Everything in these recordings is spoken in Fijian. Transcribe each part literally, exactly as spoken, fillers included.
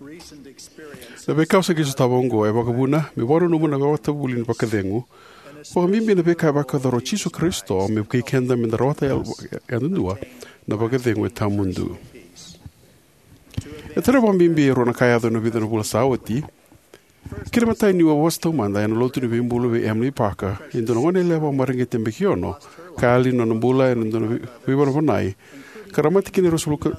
Na veika au sa qai sotava oqo e vakavuna meu vakananuma na ivakavuvuli ni vakacegu, vakabibi na veika e vakayacora o Jisu Karisito me vukei keda me da rawata yal- yadudua na vakacegu e tawamudu. E tarai au vakabibi e rua na ka e yaco ena vica na vula sa oti. Kena imatai, niu a vosa taumada ena lotu ni veibulu vei Emilie Parker, e dua na goneyalewa vakamareqeti yabaki ono, ka yali na nona bula ena dua na vei- veivanavanai, ka ra mate kina e ruasagavulu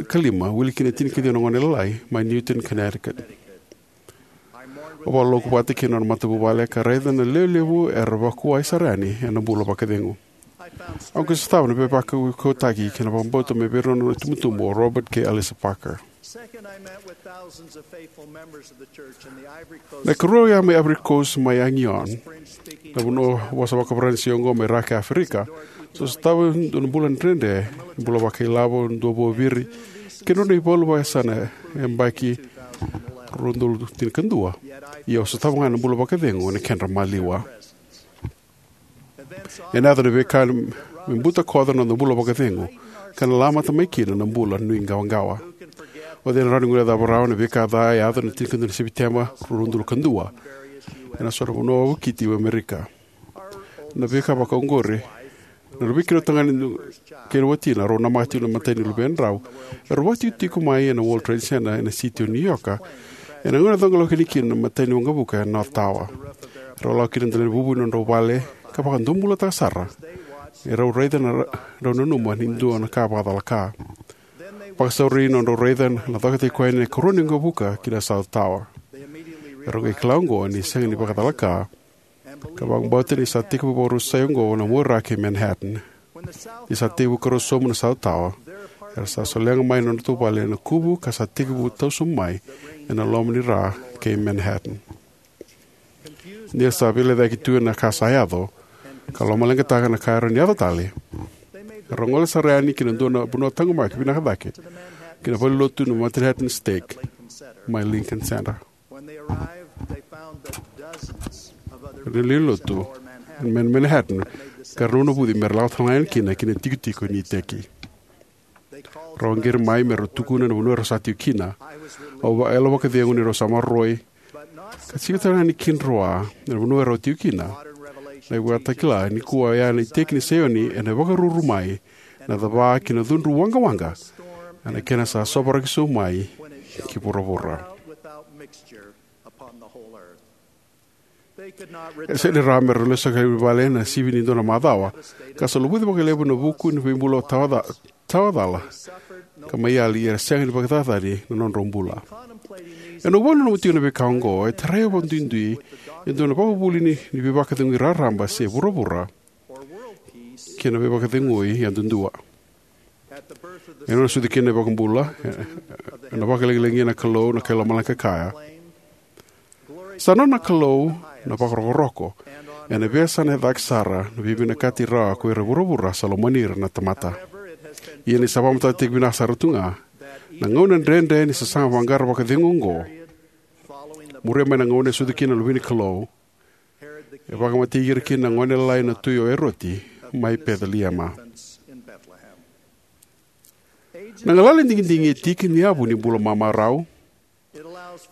ka lima, wili kina e tinikaciwa na gone lalai, mai Newtown, Connecticut. Au vakaloloku vata kei na nona matavuvale ka raica na lewe levu era vakuwai sara yani ena bula vakacegu. Au qai sotava na veivakaukauwataki kei na vakabauta mai vei ira na nona itubutubu, o Robert kei Alissa Parker. Na ikarua, au a mai Ivory Coast, mai Abidjan, na vanua vosa vakaFaranisi oqo mai ra ki Aferika. Sa sotava e dua na bula dredre, bula vakailavo, dua vuaviri, kei na nodra ivalu vakayasana ena yabaki rua na udolu tinikadua. Ia au sotava ga na bula vakacegu ena kedra maliwa. Ena yaco na veika me butakoca na noda bula vakacegu, ka na lamata mai kina na bula nuiqawaqawa. O cei na rawa ni guilecava rawa na veika ca e yaco ena tinikadua ni Sepiteba, rua na udolu ka dua, ena so na vanua vakiti e Amerika? Na veika vakaoqori, na rua vei keirau tagane kei na watina, rau namaka tiko na imatai ni luvedrau, erau vakatikotiko mai ena World Trade Center ena siti o New York, ena gauna e coqa lako yani kina na imatai ni waqavuka ena North Tower. Erau lako ki na dela ni vuvu ni nodrau vale ka vakadomobulataka sara, erau raica na ra- rau nanuma ni dua na ka vakacalaka. Vakasauri na nodrau raica na cokataki koya na ikarua ni waqavuka ki na South Tower. Erau qai kila oqo ni sega ni vakacalaka, ka vakabauta ni sa tekivu vakarusai oqo na muaira kei Manhattan. Ni sa tekivu karua sobu na South Tower, era sa solega mai na nodratou vale ena kuvu ka sa tekivu tau sobu mai ena loma ni ra kei Manhattan. Ni ra sa veilecayaki tu ena ka sa yaco, ka lomaleqataka na ka e rawa ni yaco tale, erau gole sara yani ki na dua na vanua taqomaki vinaka cake, ki na valenilotu na Manhattan Stake, mai Lincoln Center. Era lewe ni lotu mai Manhattan, ka ra navinavuci me ra lako tale ga yani kina ki na itikotiko ni iteki. Rau qiri mai me rau tukuna na vanua erau sa tiko kina. Au vakayalo vakacegu ni rau sa maroroi, ka tiko tale ga ni kidroa na vanua erau tiko kina. Na ivakatakila nikua oya na iteki ni Saioni ena vakaruru mai, na cava ki na cudru waqawaqa, ena kena sa sovaraki sobu mai ki vuravura. E sega ni rawa me ra lesu tale i vale ena sivi ni dua na macawa, ka sa luvuci vakalevu na vuku ni veibulu tawaca- tawacala, ka mai yali, ia era sega ni vakacacani na nodrau bula. Ena noqu vakananuma tiko na veika oqo, e tarai au vakaduidui e dua na ivakavuvuli ni, ni veivakacegui raraba se vuravura, kei na veivakacegui yadudua. Ena nona sucu kina na iVakabula, e- ena vakalagilagia na Kalou na kai lomalagi ka kaya, "Sa nona na Kalou na vakarokoroko, ena veiyasana e cake sara na veivinakati rawa ko ira e vuravura sa lomani ira na tamata." Ia ni sa vakamatatataki vinaka sara tu ga na gauna dredre ni sasaga vaqara vakacegu oqo, muria mai na gauna e sucu kina na Luve ni Kalou, e vakamatei ira kina na gone lalai na tui o Eroti mai Peceliema. Na galala ni digidigi e tiki ni yavu ni bula mamarau.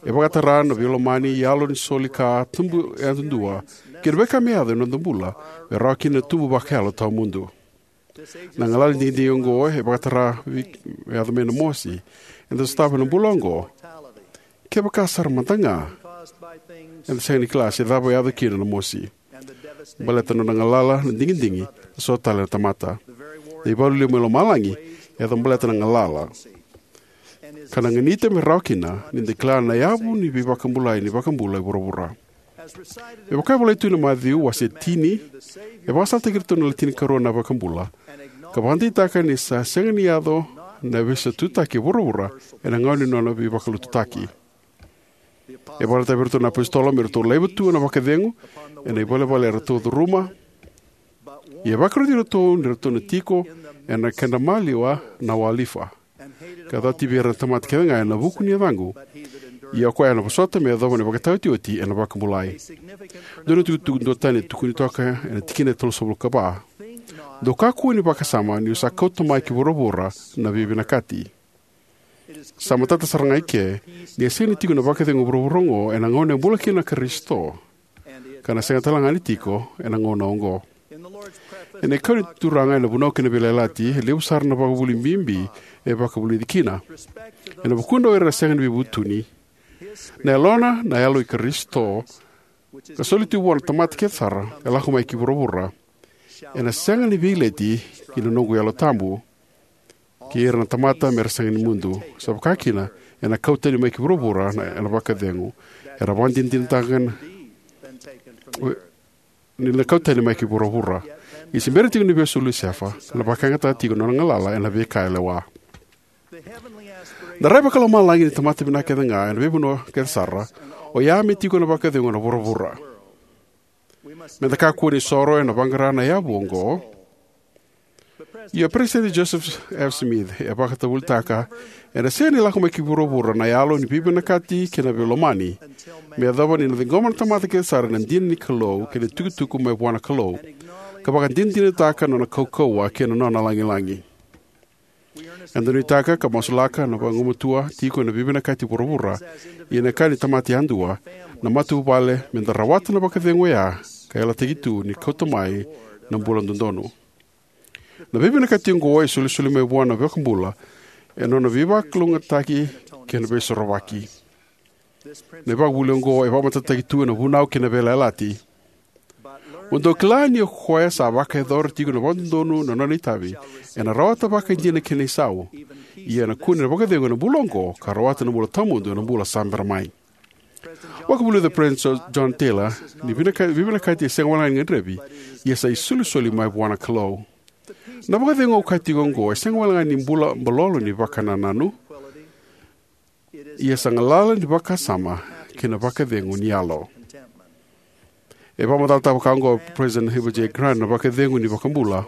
E vakatara na veilomani, yalo ni soli ka tubu yadudua, kei na veika me yaco ena noda bula me rawa kina na tubu vakayalo tawamudu. Na galala ni digidigi oqo e vakatara vei- me yaco mai na mosi eda sotava ena bula oqo. Kevaka sara mada ga eda sega ni kila se cava e yaco kina na mosi, baleta na nona galala na digidigi, na so tale na tamata. Na ivalu lima mai lomalagi e yaco baleta na galala, ka na ganita me rawa kina ni da kila na yavu ni veivakabulai ni iVakabula e vuravura. Me vaka e volai tu ena Maciu wase tini, e vakasalataki iratou na le tinikarua na iVakabula, ka vakadeitaka ni sa sega ni yaco na veisaututaki e vuravura ena gauna ni nona veivakalotutaki. E vakaraitaka vei iratou na apositolo me ratou laiva tu na vakacegu ena ivalevale eratou curuma. Ia e vakaroti iratou ni ratou na tiko ena kedra maliwa na wolifa, ka cati vei ira na tamata kece ga ena vuku ni yacaqu. Ia o koya ena vosota me yacova na ivakataotioti ena vakabulai. Dua na itukutuku duatani e tukuni toka ena tikina e tolusagavulu ka va: "Dou kakua ni vakasama niu sa kauta mai ki vuravura na veivinakati." Sa matata sara ga eke ni a sega ni tiko na vakacegu e vuravura oqo ena gauna e bula kina na Karisito, ka na sega tale ga ni tiko ena gauna oqo. Ena ikau ni Turaga ena Vunau kei na Veiyalayalati, e levu sara na vakavuvuli bibi e vakavulici kina. Ena vukudra o ira era sega ni veivutuni, na Yalona, na Yalo i Karisito, ka soli tu vua na tamata kece sara e lako mai ki vuravura, ena sega ni veileti ki na noqu Yalo Tabu kei ira na tamata me ra sega ni mudu. Sa vaka kina, ena kau tani mai ki vuravura na, ena vakacegu. Era vakadinadinataka na, ni na kau tani mai ki vuravura. Ia se bera tiko ni vesu o Lusefa, na vakayagataka tiko na nona galala ena veika e lewa. Na rai vakalomalagi ni tamata vinaka kece ga ena veivanua kece sara, oya me tiko na vakacegu ena vuravura. Me da kakua ni soro ena vaqara na yavu oqo. Ia Peresitedi Joseph F. Smith e vakatavulitaka, ena sega ni lako mai ki vuravura na yalo ni veivinakati kei na veilomani, me yacova ni na ciqoma na tamata kece sara na dina ni Kalou kei na tukutuku mai vua na Kalou, ka vakadinadinataka na nona kaukauwa kei na nona lagilagi. Eda nuitaka ka masulaka na vagumatua tiko ena veivinakati vuravura, ia na ka ni tamata yadua, na matavuvale, me da rawata na vakacegu oya ka yalataki tu ni kauta mai na bula dodonu. Na veivinakati oqo e solisoli mai vua na iVakabula ena nona veivakalougatataki kei na veisorovaki. Na ivakavuvuli oqo e vakamatatataki tu ena Vunau kei na Veiyalayalati. Mo dou kila ni o koya sa vakayacora tiko vakadodonu na nona itavi, ena rawata vakaidina na kena isau. Ia ena kune na vakacegu ena bula oqo, ka rawata na bula tawamudu ena bula sa bera mai. Vakavulica o Peresitedi John Taylor ni vinaka-, veivinakati e sega wale ga ni gadrevi, ia sa isolisoli mai vua na Kalou. Na vakacegu au kaya tiko oqo e sega wale ga ni bula balolo ni vakanananu, ia sa galala ni vakasama kei na vakacegu ni yalo. E vakamacalataka vaka oqo o President Heber J. Grant na vakacegu ni iVakabula.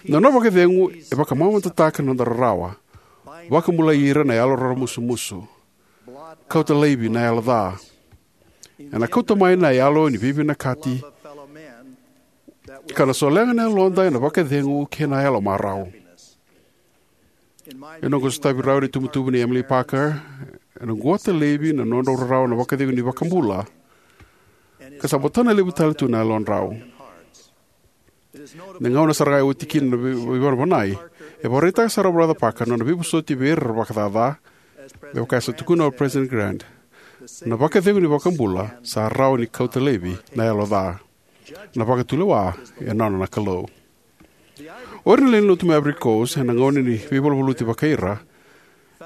Na nona vakacegu e vakamamadataka na noda rarawa, vakabulai ira na yalo raramusumusu, kauta laivi na yalo ca, ena kauta mai na yalo ni veivinakati, ka na solega na yaloda ena vakacegu kei na yalo marau. Ena noqu sotavi rau na itubutubu nei Emilie Parker, ena quta laivi na nodrau rarawa na vakacegu ni iVakabula, ka sa botana levu tale tu na yalodrau. Na gauna sara ga e oti kina na vei-, veivanavanai, e vakaraitaka sara o Brother Parker na nona veivosoti vei ira era vakacaca, me vaka e sa tukuna o President Grant, na vakacegu ni iVakabula sa rawa ni kauta laivi na yalo ca. Na vakatulewa e nona na Kalou. O ira na lewe ni lotu mai Ivory Coast, ena gauna ni veivaluvaluti vakaira,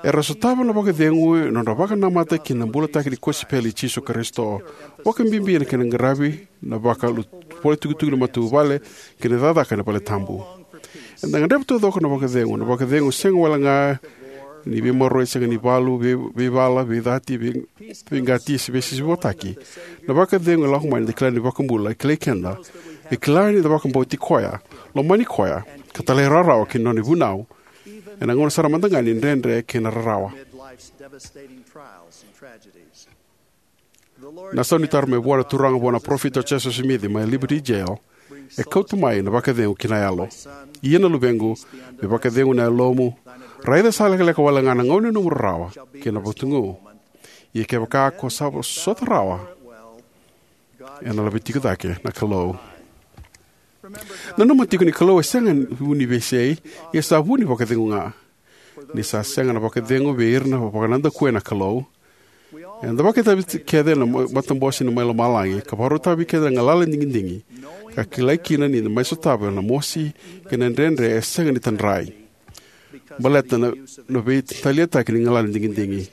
era sotava na vakacegu ena nodra vakanamata ki na bulataki ni kosipeli i Jisu Karisito, vakabibi ena kena qaravi na vakalu-, vakaitukutuku ni matavuvale kei na cakacaka ena valetabu. Eda gadreva taucoko na vakacegu, na vakacegu sega wale ga ni veimaroroi, sega ni valu, vei-, veivala, veicati, vei-, veiqati se veisisivotaki. Na vakacegu e lako mai ni da kila ni iVakabula e kilai keda, e kila ni da vakabauti koya, lomani koya, ka talairawarawa ki na nona ivunau, ena gauna sara mada ga ni dredre kei na rarawa. Na saunitaro mai vua na Turaga vua na parofita o Joseph Smith mai Liberty Jail e kauta mai na vakacegu ki na yalo. Ia na luvequ, me vakacegu na yalomu, raica sa lekaleka wale ga na gauna ni nomu rarawa kei na vakatugu. Ia kevaka ko sa vosota rawa, ena laveti iko cake na Kalou. Nanuma tiko ni Kalou e sega ni vu ni veisei, ia sa vu ni vakacegu ga. Ni sa sega na vakacegu vei ira na vakanadakuya na Kalou, eda vakaitavi kece ena ma-, matabose ni mai lomalagi, ka vakarautaka vei keda na galala ni digidigi, ka kilai kina ni da mai sotava na mosi kei na dredre e sega ni tadrai. Baleta na, na veitaliataki ni galala ni digidigi.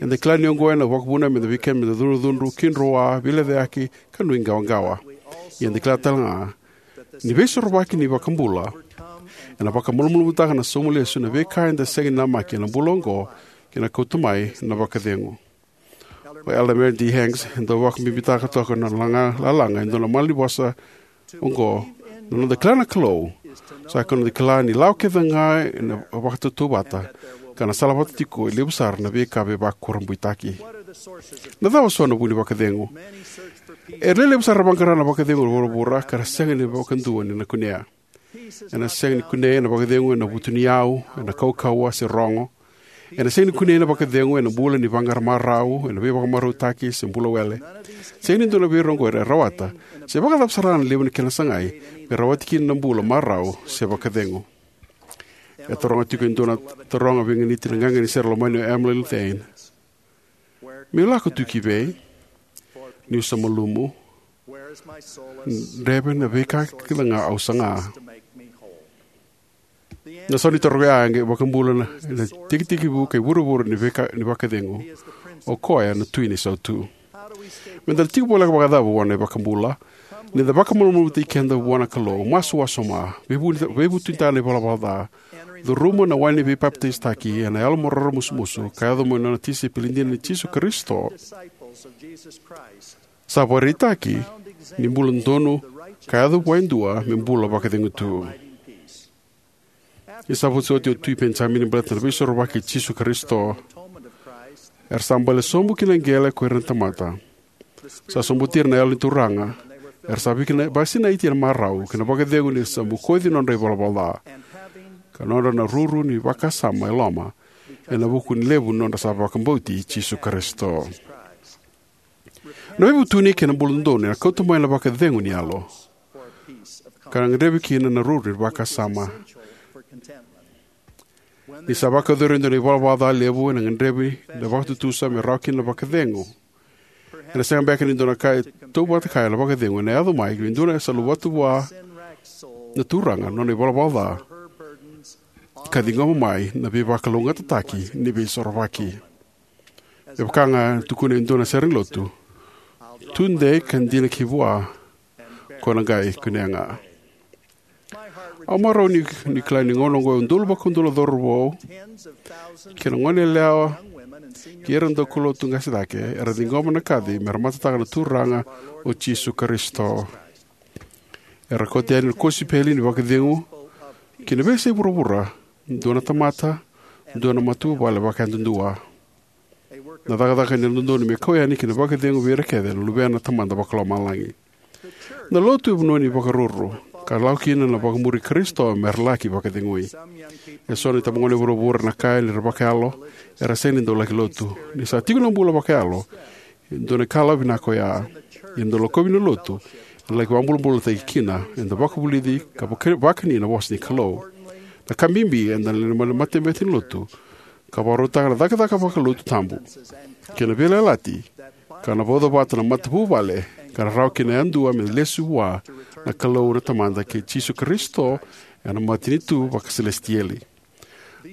Eda kila ni oqo ena vakavuna meda vei keda meda cudrucudru, kidroa, veilecayaki, ka nuiqawaqawa. Ia eda kila tale ga ni veisorovaki ni iVakabula ena vakamalumalumutaka na sauma lesu na veika eda sega ni namaki ena bula oqo, kei na kauta mai na vakacegu. O Elder Marion D. Hanks e dau vakabibitaka toka na laga, lalaga e dua na malanivosa oqo, na noda kila na Kalou sa ikoya na noda kila ni lawa kece ga ena vakatautauvata, ka na salavata tiko e levu sara na veika veivakurabuitaki. Na cava so na vu ni vakacegu? E lewe levu sara era vaqara na vakacegu e vuravura, ka ra sega ni vakadua ni na kunea. Ena sega ni kunei na vakacegu ena vutuniyau, ena kaukauwa se rogo. Ena sega ni kunei na vakacegu ena bula ni vaqara marau, ena veivakamarautaki, se bula wele. Sega ni dua na veirogoi era rawata, se vakacava sara na levu ni kena sagai, me rawati kina na bula marau se vakacegu. E taroga tiko e dua na taroga veiganiti na qaqa ni sere lomani o Emily Lou Thayne: "Meu lako tu ki vei? Niu sa malumu. Dreve na veika kece ga au saga." Na sau ni taro ya e qai vakabula na, na tikitikivu kei vuravura ni veika, ni vakacegu. O koya na Tui ni Sautu. Meda na tiko voleka vakacava vua na iVakabula? Ni da vakamalumalumutaki keda vua na Kalou, masu wasoma, veivu-, veivutunitaka na ivalavala ca, curuma na wai ni veipapitaisotaki ena yalo mo raramusumusu, ka yaco mo nona tisaipeli dina ni Jisu Karisito. Sa vakaraitaki ni bula dodonu ka yaco vua e dua me bula vakacegu tu. Ni sa vosa oti o Tui Penijamini baleta na Veisorovaki i Jisu Karisito, era sa bale sobu ki na qele ko ira na tamata. Sa sobuti ira na Yalo ni Turaga, era sa vakina-, vakasinaiti ena marau kei na vakacegu ni ra sa bokoci nodra ivalavala ca, ka nodra na ruru ni vakasama e loma, ena vuku ni levu nodra sa vakabauti Jisu Karisito. Na veivutuni kei na bula dodonu ena kauta mai na vakacegu ni yalo, ka na gadrevi kina na ruru ni vakasama. Ni sa vakayacori e dua na ivalavala ca levu, ena gadrevi na vakatutusa me rawa kina na vakacegu. Ena sega beka ni dua na ka e tautauvata kaya na vakacegu ena yaco mai vei dua na sa luvata vua na Turaga nona ivalavala ca, ka ciqoma mai na veivakalougatataki ni Veisorovaki. Me vaka ga e tukuna e dua na sere ni lotu: "Tudei ka dina ki vua, ko na qai kunea ga." Au marau ni, ni kila ni gauna oqo e udolu vakaudolu na cauravou kei na goneyalewa kei ira na daukaulotu qase cake era ciqoma na kaci me ra matataka na Turaga o Jisu Karisito. Era kauta yani na kosipeli ni vakacegu ki na veiyasai vuravura, dua na tamata, dua na matavuvale vakayadudua. Na cakacaka ni yalododonu me kau yani ki na vakacegu vei ira kece na luvena na Tamada Vakalomalagi. Na lotu e vanua ni vakaruru, ka lako kina na vakamuri Karisito me ra laki vakacegui. Eso na itabagone vuravura ena kaya ni ra vakayalo, era sega ni dau laki lotu. Ni sa tiko na bula vakayalo, e dua na ikalawa vinaka oya. Ia na dau lakovi na lotu, ena laki vakabulabulataki kina, eda vakavulici ka vaka-, vakani na vosa ni Kalou. Na ka bibi, eda na lewe ni matabete ni lotu, ka vakarautaka na cakacaka vakalotu tabu kei na veiyalayalati, ka na vauca vata na matavuvale, ka na rawa kina yadua me lesu vua na Kalou na Tamada kei Jisu Karisito ena matanitu vakasilesitieli.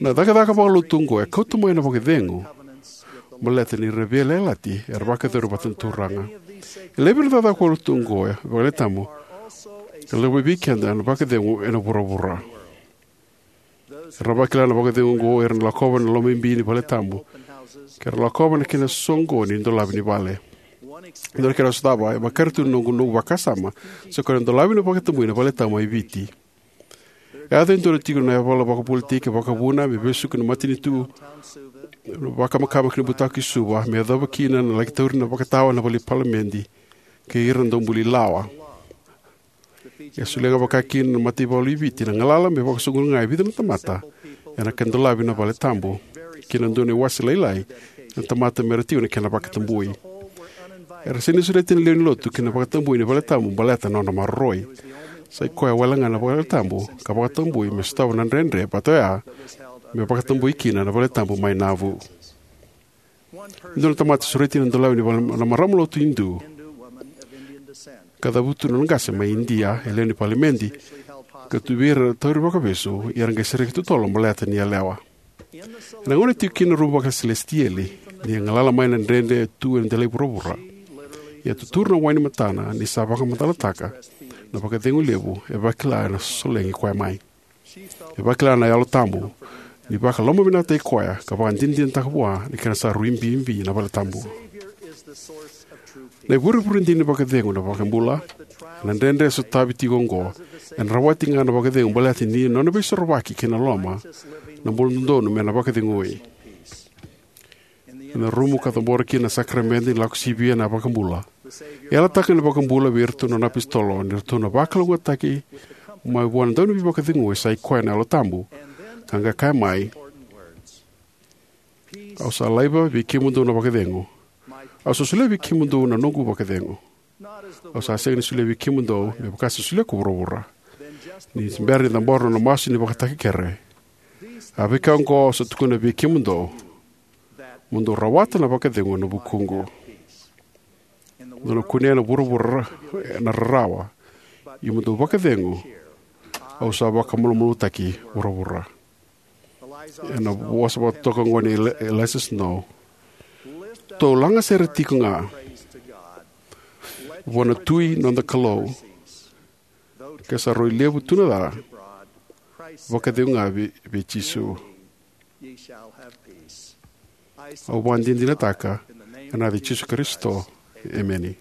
Na cakacaka vakalotu oqo e kauta mai na vakacegu baleta ni ra veiyalayalati era vakayacori vata na Turaga. E levu na cakacaka vakalotu oqo e vakalewe tabu ka lako mai vei keda na vakacegu ena vuravura. Era vakila na vakacegu oqo era na lakova na lomabibi ni vale tabu, ka ra lakova na kena soqoni ni dolavi ni vale. Dua na kena sotava e vakaira tu na noqu, noqu vakasama, sa koya na dolavi na vakatabui na vale tabu mai Viti. E yaco e dua na tiko na yavala vakapolitiki vakavuna me vesuki na matanitu, na vakamakama ki na butako i Suva, me yacova kina na laki tauri na vakatawa na vale ni palimedi kei ira na daubuli lawa. E solia ga vaka kina na mataivalu i Viti na galala me vakasoqoni ga e vica na tamata ena kena dolavi na vale tabu, kei na dua na iwase lailai na tamata me ra tiko na kena vakatabui. Era sega ni sureti na lewe ni lotu ki na vakatabui ni vale tabu baleta na nodra maroroi. Sa i koya wale ga na vale tabu ka vakatabui me sotava na dredre vata oya me vakatabui kina na vale tabu mai Nauvoo. Dua na tamata sureti na dolavi ni vale na marama lotu Idu, ka cavutu na nona qase mai Idia, e lewe ni palimedi, ka tu vei ira na tauri vakavesu, ia era qai sereki totolo baleta ni yalewa. Ena gauna e tiko kina na rumu vakasilesitieli, ni galala mai na dredre e tu ena delai vuravura, ia tuturu na wai ni matana ni sa vakamacalataka na vakacegu levu e vakila ena solegi koya mai. E vakila na Yalo Tabu ni vakalomavinakataki koya ka vakadinadinataka vua na kena sa rui bibi na vale tabu. Na ivurevure dina ni vakacegu na iVakabula. Na dredre e sotavi tiko oqo ena rawati ga na vakacegu baleta ni nona veisorovaki kei na loma, na bula dodonu me na vakacegui. Ena rumu ka cabora kina na sakaramede ni Lako Sivia na iVakabula, e yalataka na iVakabula vei iratou na nona apositolo ni ratou na vakalougatataki mai vua na Dauniveivakacegui sa i koya na Yalo Tabu, ka qai kaya mai: Au sa laiva vei kemudou na vakacegu. Au sa solia vei kemudou na noqu vakacegu. Au sa sega ni solia vei kemudou me vaka sa solia ko vuravura. Ni se bera ni cabora na masu ni vakatakekere, a veika oqo au sa tukuna vei kemudou, mo dou rawata na vakacegu ena vukuqu. Dou na kunea na vuravura ena rarawa, ia mo dou vakacegu, au sa vakamalumalumutaki vuravura. Ena vosa vakatoka oqo nei Eli-, Eliza Snow: Tou laga sere tiko ga vua na Tui noda Kalou, ke sa rui levu tu na ca, vakacegu ga vei, vei Jisu. Au vakadinadinataka ena yaca i Jisu Karisito. Emeni.